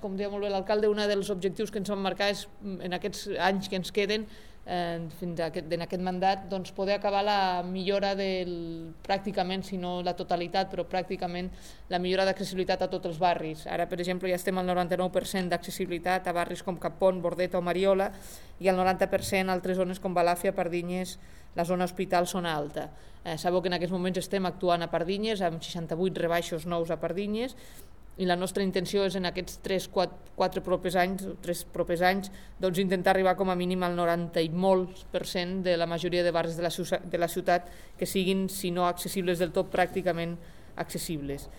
Com deia molt bé l'alcalde, un dels objectius que ens vam marcar és, en aquests anys que ens queden, fins en aquest mandat, doncs poder acabar la millora pràcticament, si no la totalitat, però pràcticament la millora d'accessibilitat a tots els barris. Ara, per exemple, ja estem al 99% d'accessibilitat a barris com Cappont, Bordeta o Mariola, i al 90% a altres zones com Balàfia, Pardinyes, la zona hospital, zona alta. Sabeu que en aquests moments estem actuant a Pardinyes, amb 68 rebaixos nous a Pardinyes, i la nostra intenció és en aquests 3-4 propers anys doncs intentar arribar com a mínim al 90 i molts % de la majoria de barris de la ciutat que siguin, si no accessibles del tot, pràcticament accessibles.